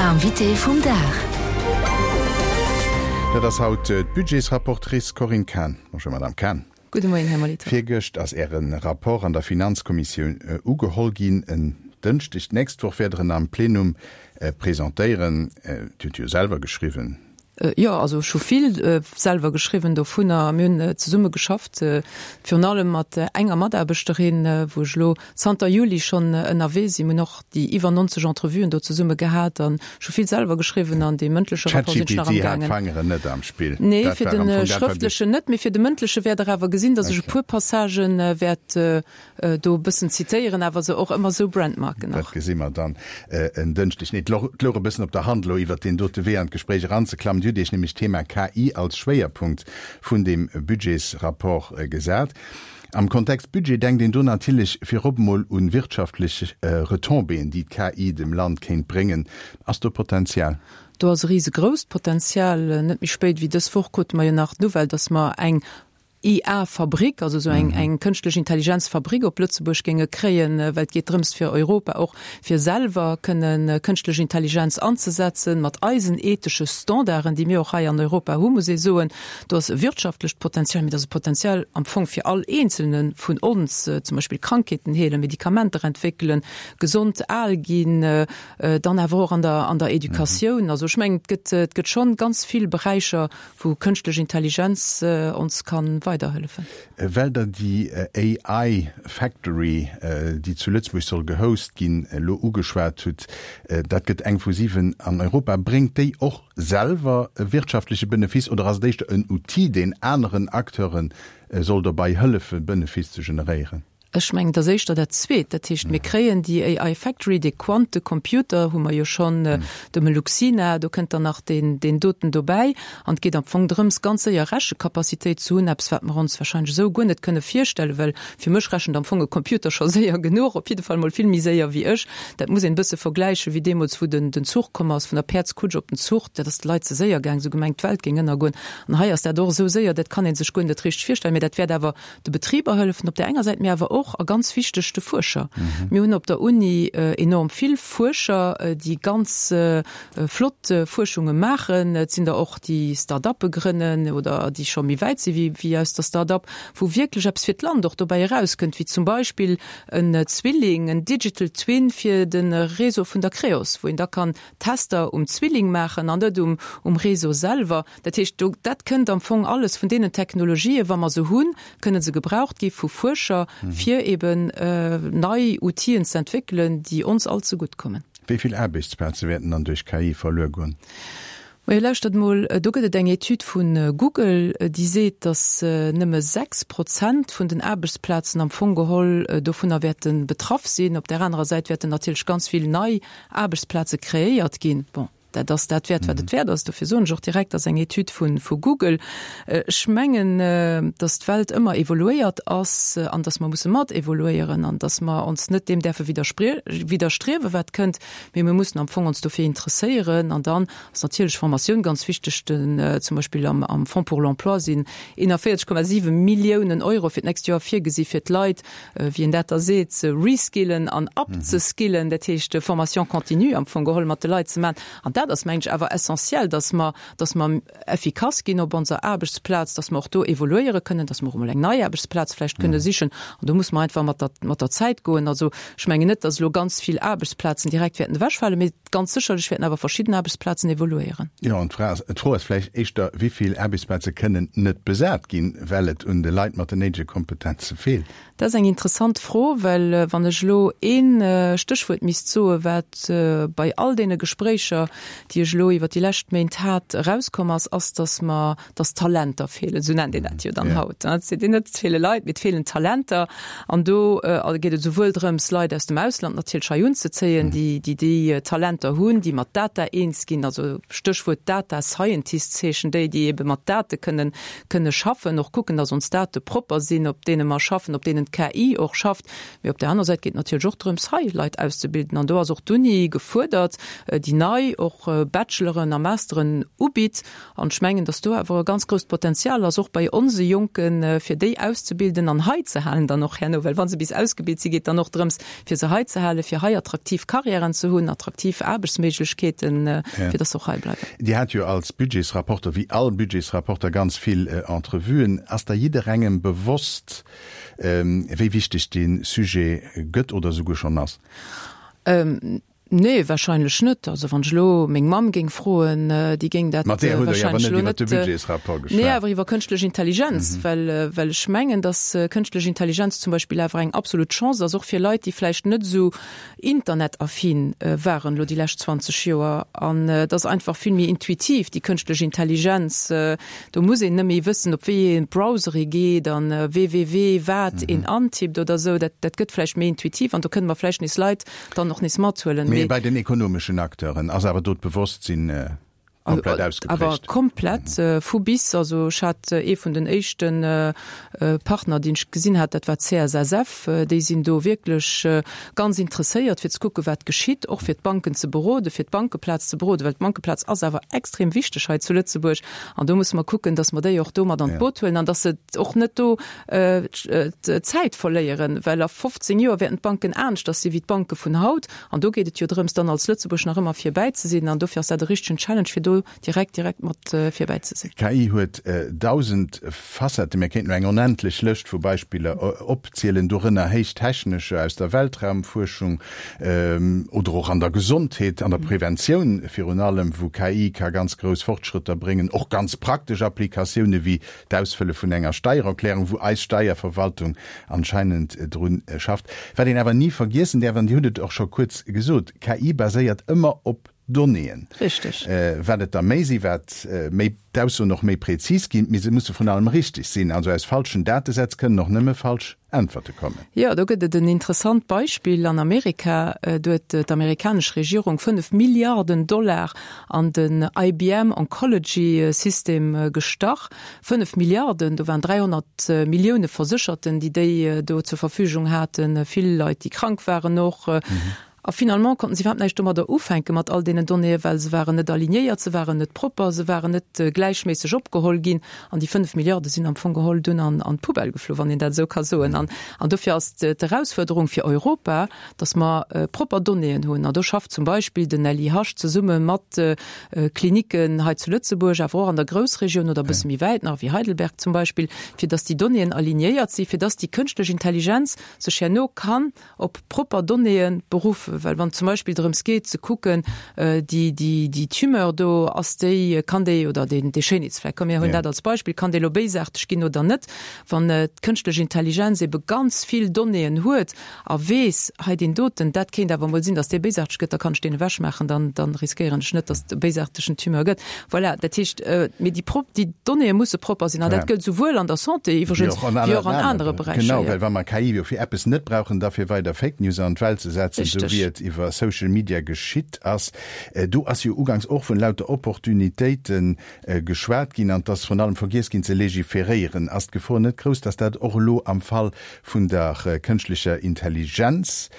L'invité vum Dag. Dat ass haut d'Budgetsrapportrice Corinne Cahen. Bonjour Madame Cahen. Gudde Moien, Här Molitor. Virgëscht ass Äre Rapport an der Finanzkommissioun ugeholl ginn. En Dënschdeg d'nächst Woch wäert Der en am Plenum presentéieren. Dir hutt jo selwer geschriwwen. Jo, also ech hu vill selwer geschriwwen dovunner. Mir hunn zesumme geschafft, virun allem mat enger Mataarbechterin, wou ech elo zanter Juli schonn ënnerwee sinn. Mir hunn och déi iwwer 90 Entrevuen do zesumme gehat an ech hu vill selwer geschriwwen an dee mëndleche Rapport sinn ech nach am gaangen. ChatGPT hat d'Fangeren net am Spill. Nee, fir de schrëftlechen net, mee fir de mëndleche wäert Der awer gesinn, datt ech e puer Passagë wäert do e bëssen zitéieren, awer se och ëmmer esou brandmarken nach. Dat gesi mer dann en Dënschdeg. Nee, et louch e bëssen op der Hand, elo iwwert deen dote Wee an d'Gespréich eranzeklammen. Dir hutt Iech nämlech d'Thema KI als Schwéierpunkt vun deem Budgetsrapport gesat. Am Kontext Budget denkt een do natierlech virop emol u wirtschaftlech Retombéeën, déi d'KI dem Land kéint bréngen. Ass do Potenzial? Do ass e risegrousst Potenzial. Net méi spéit wéi dës Woch krute mer jo nach d'Nouvelle, datt mer eng IA-Fabrik, also esou eng eng kënschtlech Intelligenz-Fabrik op Lëtzebuerg géinge kréien, well et geet drëms fir Europa och fir selwer kënne kënschtlech Intelligenz anzesetzen, mat eisen ethesche Standarden, déi mir och hei an Europa hu muss ee soen. Do ass e wirtschaftlecht Potenzial, mee et ass e Potenzial am Fong fir all Eenzelne vun ons, zum Beispill Krankheeten heelen, Medikamenter entwéckelen, gesond al ginn, dann awer och an der an der Educatioun. Also ech mengen, et gëtt et gëtt schonn ganz vill Beräicher, wou kënschtlech Intelligenz ons kann weiderhëllefen. Well Der déi AI Factory, déi zu Lëtzebuerg soll gehost ginn, elo ugeschwat hutt, dat gëtt eng vu 7 an Europa, bréngt déi och selwer e wirtschaftleche Benefice oder ass et éischter en Outil, deen aneren Acteure soll dobei hëllefen, Benefice ze generéieren? Ech mengen, et ass éischter dat Zweet. Dat heescht, mir kréien déi AI Factory, dee Quantecomputer hu mer jo schonn, de Meluxina, do kënnt dann nach deen, deen doten dobäi. An et geet am Fong drëms, ganz séier Rechecapacitéit ze hunn, eppes, wat mer ons warscheinlech esou guer net kënne virstellen, well fir mech rechent am Fong e Computer scho séier genuch, op jidde Fall mol vill méi séier wéi ech. Dat muss een e bësse vergläichen, wéi deemools, wou den, den Zuch komm ass, vun der Päerdskutsch op den Zuch, dat ass de Leit ze séier gaang, se hu gemengt, d'Welt géing ënnergoen. An hei ass dat och esou séier, dat kann ee sech guer net richteg virstellen, mä dat wäert awer de Betriber hëllefen op där enger Säit, mee awer och, a ganz wichteg, de Fuerscher. Mir hunn op der Uni enorm vill Fuerscher, déi ganz flott Fuerschunge maachen. Et sinn der och, déi Start-uppe grënnen oder déi scho méi wäit si wéi aus der Start-up, wou wierklech eppes fir d'Land och dobäi erauskënnt, wéi zum Beispill en Zwilling, en Digital Twin fir de Réseau vun der Creos, wou een da kann Tester um Zwilling maachen an net um Réseau selwer. Dat heescht, do, dat kënnt am Fong alles vun deenen Technologien, wa mer se hunn, kënne se gebraucht gi vu Fuerscher, fir eben nei Outile ze entwéckelen, déi ons all zegutt kommen. Wéi vill Aarbechtsplaze wäerten dann duerch KI verluer goen? Majo, lauschtert mol, do gëtt et eng Etüd vu Google, déi seet, datt nëmme 6 Prozent vun den Aarbechtsplazen am Fong geholl dovunner wäerte betraff sinn. Op där anerer Säit wäerten natierlech ganz vill nei Aarbechtsplaze kreéiert ginn. Bon. Dat ass dat wäert, wat et wäert ass. Dofir soen ech och direkt, ass eng Etüd vu vu Google. Ech mengen, datt d'Welt ëmmer evoluéiert ass an datt mer musse mat evoluéieren an datt mer ons net deem däerfe widderstriewen, wat kënnt, mee mir mussen am Fong ons dofir interesséieren. An dann ass natierlech Formatioun ganz wichteg. Den, zum Beispill am am Fonds pour l'emploi sinn 41,7 Milliounen Euro fir d'nächst Joer virgesi fir d'Leit, wéi een dat da seet, ze reskillen an upzeskillen, dat heescht Formation continue am Fong geholl mat de Leit ze maachen. An dat ass, mengen ech, awer essentiell, dass mer, dass mer effikass ginn op onser Aarbechtsplaz, dass mer och do evoluéiere kënnen, dass mer och emol eng nei Aarbechtsplaz vläicht kënne sichen. An do muss mer einfach mat der, mat der Zäit goen. Also ech mengen net, dass elo ganz vill Aarbechtsplazen direkt wäerten ewechfalen, mee ganz sécherlech wäerten awer verschidden Aarbechtsplazen evoluéieren. Jo, an d'Fra ass, d'Fro ass vläicht éischter, Wéi vill Aarbechtsplaze kënnen net besat ginn, well et un de Leit mat den néidege Kompetenze feelt? Dat ass eng interessant Fro, well wann ech elo ee Stéchwuert misst soen, wat bei all deene Gespréicher, déi ech elo iwwer déi lescht Méint hat, erauskomm ass, ass, datt mer, datt Talenter feelen. Esou nennt een dat jo dann haut. Et seet een net, et feele Leit, mee et feelen Talenter. An do geet et esouwuel drëms, Leit aus dem Ausland natierlech hei unzezéien, déi déi déi Talenter hunn, déi mat Data eens ginn, also Stéchwuert Data Scientists heeschen déi, déi ebe mat Date kënnen kënne schaffen, och kucken, datt ons Date propper sinn, op deene mer schaffen, op deenen d'KI och schafft. Mee op där aner Säit geet et natierlech och drëms, hei Leit auszebilden. An do ass och d'Uni gefuerdert, déi nei och. och Bacheloren a Masteren ubitt. An ech mengen, dass do awer e ganz grousst Potenzial ass, och bei onse Jonken, fir déi auszebilden an hei ze halen dann och herno, well wa se bis ausgebilt si geet dann och drëms, fir se hei ze halen, fir hei attraktiv Karriären ze hunn, attraktiv Aarbechtsméiglechkeeten, fir dass se och hei bleiwen. Dir hat jo als Budgetsrapporter, wéi all Budgetsrapporter, ganz vill Entrevuen. Ass da jidderengem bewosst, wéi wichteg dee Sujet gëtt oder esouguer schonn ass? Nee, wahrscheinlech net. Also wann ech elo meng Mamm géing froen, déi géing dat Mat där hutt Der jo awer wahrscheinlech net elo iwwer de net. Budgetsrapport Nee, geschwat. awer iwwer kënschtlech Intelligenz, well, well ech mengen, datt kënschtlech Intelligenz zum Beispill awer eng absolut Chance ass, och fir Leit, déi vläicht net esou internetaffin waren elo déi lescht 20 Joer. An et ass einfach vill méi intuitiv, déi kënschtlech Intelligenz. Do muss een net méi wëssen, op wéi ee Browser ee geet an www wat een antippt oder esou. Dat, dat gëtt vläicht méi intuitiv an do kënne mer vläicht nees Leit dann och nees mathuelen. Mee bei den ekonomeschen Acteuren ass awer do d'Bewosstsinn komplett ausgeprägt? Awer komplett, vu bis. Also ech hat ee vun den éischte Partner, deen ech gesinn hat, dat war d'CSSF. Déi sinn do wierklech ganz interesséiert, fir ze kucken, wat geschitt, och fir d'Banken ze beroden, fir d'Bankeplaz ze beroden, well d'Bankeplaz ass awer extrem wichteg hei zu Lëtzebuerg. An do musse mer kucken, datt mer déi och do mat an d'Boot huelen an datt se och net do d'Zäit verléieren, well a 15 Joer wäerten d'Banken aneschters si wéi d'Banke vun haut. An do geet et jo drëms, dann als Lëtzebuerg nach ëmmer virbäi ze sinn. An dofir ass dat e richtegen Challenge, fir do direkt, direkt mat virbäi ze sinn. KI huet 1.000 Facetten. Mir kéinten elo eng onendlech Lëscht vu Beispiller opzielen, dorënner héich technescher aus der Weltraumfuerschung oder och an der Gesondheet, an der Preventioun virun allem, wou KI ka ganz grouss Fortschrëtter bréngen, och ganz praktesch Applikatioune wéi D'Ausfëlle vun enger Steiererklärung, wou eis Steierverwaltung anscheinend dru schafft. Wat een awer ni vergiessen däerf, an Dir hutt et och scho kuerz gesot, KI baséiert ëmmer op Donnéeën. Richteg. Wat et der méi sinn, wat méi d'Aussoen och méi prezis ginn, mee se musse vrun allem richteg sinn. Also aus falschen Datesätz kënnen och nëmme falsch Äntwerte kommen. Jo, do gëtt et en interessant Beispill an Amerika. Do huet d'amerikanesch Regierung 5 Milliarden Dollar an den IBM Oncology System gestach. 5 Milliarden, do waren 300 Millioune Versécherten, déi déi do zur Verfügung haten, vill Leit, déi krank waren och. A finalement konnten si iwwerhaapt näischt domadder ufänken, mat all deenen Donnéeën, well se waren net alignéiert, se waren net propper, se waren net gläichméisseg opgeholl ginn. An déi 5 Milliarde sinn am Fong geholl dunn an d'Poubelle geflu, wann een dat esou ka soen. An dofir ass d'Erausfuerderung fir Europa, datt mer propper Donnéeën hunn. An do schafft zum Beispill den LIH zesumme mat Klinicken hei zu Lëtzebuerg, awer och an der Groussregioun oder e bësse méi wäit nach, wéi Heidelberg zum Beispill, fir datt déi Donnéeën alignéiert sinn, fir datt déi kënschtlech Intelligenz sech herno kann op propper Donnéeë beruffen, well wann et zum Beispill drëms geet ze kucken, déi, déi, déi Tumeur do, ass déi, kann déi, oder deen, dee Schéinheetsfleck, komm mir huelen dat als Beispill, kann dee lo béisaarteg ginn oder net, wann d'kënschtlech Intelligenz ebe ganz vill Donnéeën huet a weess, hei deen doten, dat kéint awer emol sinn, datt dee béisaarteg gëtt, da kann ech deen ewechmaachen, dann, dann riskéieren ech net, datt et e béisaartegen Tumeur gëtt. Voilà, dat heescht, mee déi prop, déi Donnéeë musse propper sinn an dat gëllt souwuel an der Santé iwwregens wéi och an anere Beräicher. Genau, well wa mer KI jo fir eppes net brauchen, da fir weider Fake News an d'Welt ze setzen, esou wéi et iwwer Social Media geschitt ass. Do ass jo uganks och vun lauter Opportunitéite geschwat ginn an et ass vrun allem vergiess ginn ze legiferéieren. Ass d'Gefor net grouss, datt dat och elo am Fall vun der kënschtlecher Intelligenz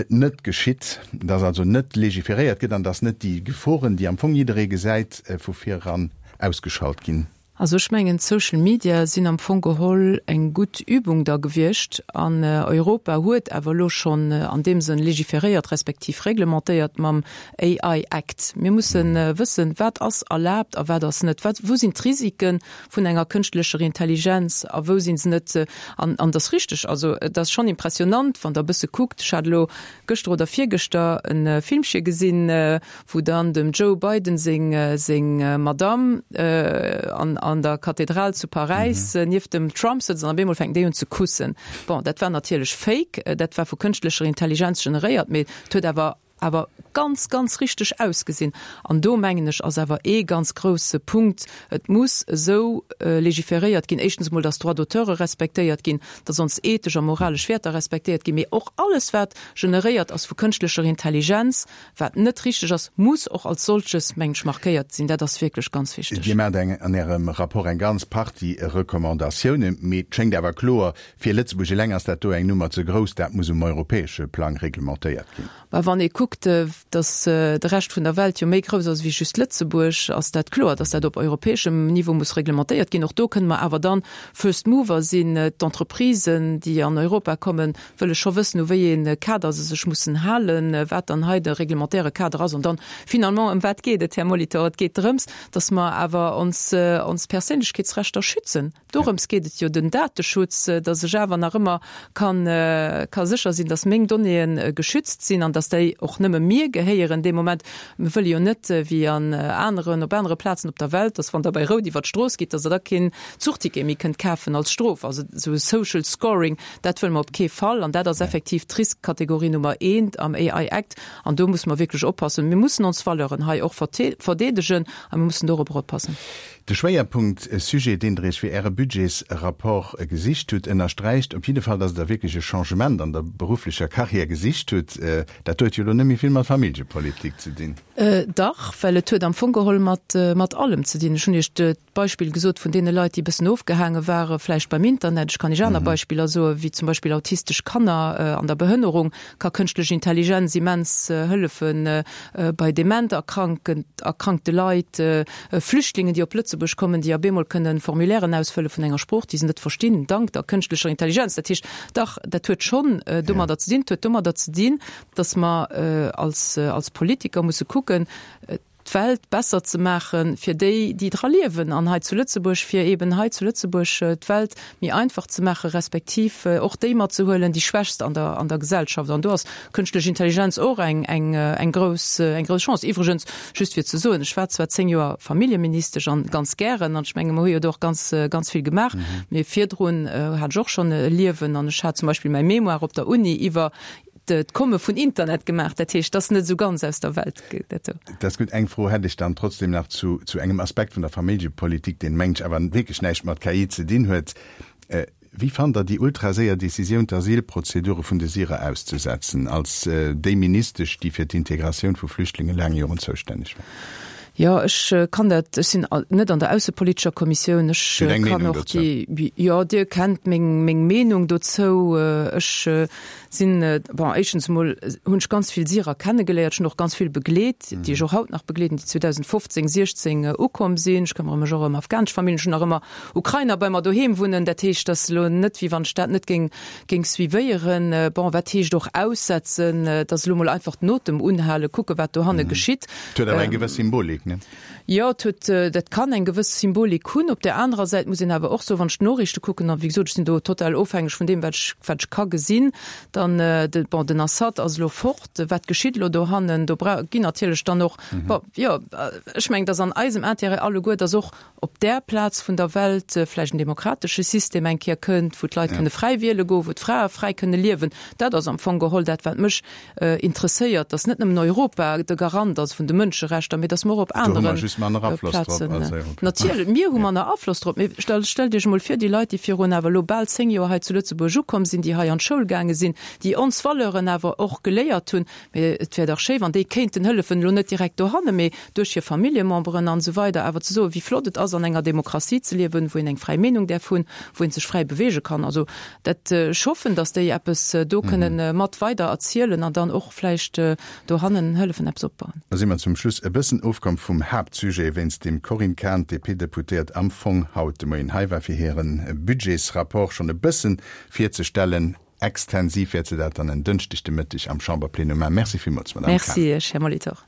net geschitt, dass also net legiferéiert gëtt an dass net déi Geforen, déi am Fong jidderee gesäit, vu vir eran ausgeschalt ginn. Also ech mengen, d'Social Media sinn am Fong geholl eng gutt Übung da gewiescht an Europa huet awer elo schonn an deem Sënn legiferéiert respektiv reglementéiert mam AI Act. Mir mussen wëssen, wat ass erlaabt a wat ass net, wat, wou sinn d'Risiken vun enger kënschtlecher Intelligenz a wou si se net? An an et ass richteg, also et ass schonn impressionant, wann Der e bësse kuckt, ech hat elo gëschter oder virgëschter e Filmche gesinn, wou dann dem Joe Biden seng seng Madamm an an der Kathedral zu Paräis nieft dem Trump sëtzt an op eemol fänken déi un ze kussen. Bon, dat war natierlech fake, dat war vu kënschtlecher Intelligenz generéiert, mee et huet awer awer ganz, ganz richteg ausgesinn. An do, mengen ech, ass awer ee ganz grouse Punkt, Et muss esou legiferéiert ginn, éischtens emol, dass d'Droits d'auteure respektéiert ginn, dass ons ethesch a moralesch Wäerter respektéiert ginn, mee och alles, wat generéiert ass vu kënschtlecher Intelligenz, wat net richteg ass, muss och als solches, mengen ech, markéiert sinn. Dat ass wierklech ganz wichteg. Dir maacht an Ärem Rapport eng ganz Partie Recommandatiounen, mee et schéngt awer kloer, fir Lëtzebuerg eleng ass dat do eng Nummer ze grouss. Dat muss um europäesche Plang reglementéiert ginn. Mä wann ee kuckt, dass de Rescht vun der Welt jo méi grouss ass wéi just Lëtzebuerg, ass dat kloer, dass dat op europäeschem Niveau muss reglementéiert ginn. Och do kënne mer awer dann First Mover sinn. D'Entreprisen, déi an Europa kommen, wëlle scho wëssen, u wéi ee Kader se sech mussen halen, wat dann hei de reglementaire Kader ass. An dann finalement, ëm wat geet et, Här Molitor? Et geet drëms, dass mer awer ons, ons Perséinlechkeetsrechter schützen. Dorëms geet et jo, den Dateschutz, dass ech awer nach ëmmer kann, ka sécher sinn, dass meng Donnéeë geschützt sinn an dass déi och nëmme mir gehéieren dee Moment. Mir wëlle jo net, wéi an aneren, op anere Plazen op der Welt, dass wann Der bei Rout iwwert d'Strooss gitt, dass Der da keen Zuchticket méi kënnt kafen als Strof. Also esou e Social Scoring, dat wëlle mer op kee Fall. An dat ass effektiv d'Riskkategorie Nummer eent am AI Act. An do musse mer wierklech oppassen. Mir mussen ons Valeuren hei och verdeedegen a mir mussen dorobber oppassen. De Schwéierpunkt, Sujet, deen Der Iech fir Äre Budgetsrapport gesicht hutt, ënnersträicht op jidde Fall, dass Der wierklech e Changement an der berufflecher Carrière gesicht hutt. Dat huet jo elo net méi vill mat Familljepolitik ze dinn. Dach, well et huet am Fong geholl mat allem ze dinn. Ech hunn Iech d'Beispill gesot vun deene Leit, déi e bëssen ofgehaange ware vläicht beim Internet. Ech kann Iech aner Beispiller soen, wéi zum Beispill autistesch Kanner an der Behënnerung ka kënschtlech Intelligenz immens hëllefen, bei dement erkrankte Leit, Flüchtlingen, déi op Lëtzebuerg kommen, déi op eemol kënne Formulairen ausfëlle vun enger Sprooch, déi se net verstinn, dank der kënschtlecher Intelligenz. Dat heescht, dach, dat huet schonn domadder ze dinn. Et huet domadder ze dinn, datt mer als Politiker musse kucken, d'Welt besser ze maache fir déi, déi dra liewen, an hei zu Lëtzebuerg, fir eeben hei zu Lëtzebuerg d'Welt méi einfach ze maache respektiv och déi matzehuelen, déi Schwächst an der, an der Gesellschaft. An do ass kënschtlech Intelligenz och eng, eng, eng grouss, eng grouss Chance. Iwwregens, just fir ze soen, ech war zwar 10 Joer Familljeministesch an ganz gären, an ech menge mer hu jo do och ganz, ganz vill gemaach, mee virdrun hat ech och schonn e Liewen an ech hat zum Beispill mäi Mémoire op der Uni iwwer d'Komme vun Internet gemaach. Dat heescht, dat ass net esou ganz aus der Welt, dat do. Dat ass gutt. Eng Fro hätt ech dann trotzdem nach zu, zu engem Aspekt vun der Familljepolitik, deen, mengen ech, awer wierklech näischt mat KI ze dinn huet. Wéi fannt Der déi ultraséier Decisioun, d'Asylprozedure vun de Syrer auszesetzen, als déi Ministesch, déi fir d'Integratioun vu Flüchtlinge laang Joren zoustänneg war? Jo, ech kann dat, ech sinn net an der aussepolitescher Kommissioun, ech kann och déi, jo, Dir kennt meng, meng Meenung dozou. Ech sinn, bon, éischtens emol hunn ech ganz vill Syrer kennegeléiert, ech hunn och ganz vill begleet, déi ech och haut nach begleeden, déi 2015, 16 ukomm sinn. Ech këmmere mech och ëm afghanesch Familljen, ech hunn nach ëmmer Ukrainer bei mer doheem wunnen. Dat heescht, et ass elo net, wéi wann ech dat net géing, géing suivéieren. Bon, wat heescht och aussetzen? Et ass elo mol einfach den Otem unhalen, kucken, wat dohanne geschitt. Et huet awer eng gewëss Symbolik, ne? Jo, et huet, dat kann eng gewëss Symbolik hunn. Op där anerer Säit muss een awer och soen, wann ech d'Noriichte kucken, a wéi gesot, ech sinn do total ofhängeg vun deem, wat ech, wat ech ka gesinn, dann, de, bon, den Assad ass elo fort. Wat geschitt elo dohannen? Do bra ginn natierlech dann och, bon, jo, ech mengen, et ass an eisem Intérêt alleguer, dass och op där Plaz vun der Welt vläicht en demokratesche System eng Kéier kënnt, wou d'Leit kënne fräi wiele goen, wou d'Frae fräi kënne liewen. Dat ass am Fong geholl dat, wat mech interesséiert, dass net nëmmen Europa de Garant ass vun de Mënscherechter, mee dass mer och op anere Plazen. Natierlech, mir hu manner Afloss drop, mee stellt Iech emol vir, déi Leit, déi virun awer elo bal 10 Joer hei zu Lëtzebuerg ukomm sinn, déi hei an d'Schoul gaange sinn, déi ons Valeuren awer och geléiert hunn, Mee et wär dach schéi, wann déi kéinten hëllefen, elo net direkt dohanne, mee duerch hir Familljememberen an esou weider, awer ze soen, wéi flott et ass, an enger Demokratie ze liewen, wou een eng fräi Meenung däerf hunn, wou ee sech fräi beweege kann. Also dat, ech hoffen, datt déi eppes do kënnen mat weider erzielen an dann och vläicht dohannen hëllefen, eppes opbauen. Da si mer zum Schluss e bëssen ofkomm vum Haaptsujet, wéinst deem d'Corinne Cahen, d'DP-Deputéiert, am Fong haut de Moien hei war, fir hire Budgetsrapport schonn e bëssen virzestellen. Extensiv wäert se dat dann en Dënschdeg de Mëtteg am Chamberplenum maachen. Merci villmools, Madamm Cahen. Merci, Här Molitor.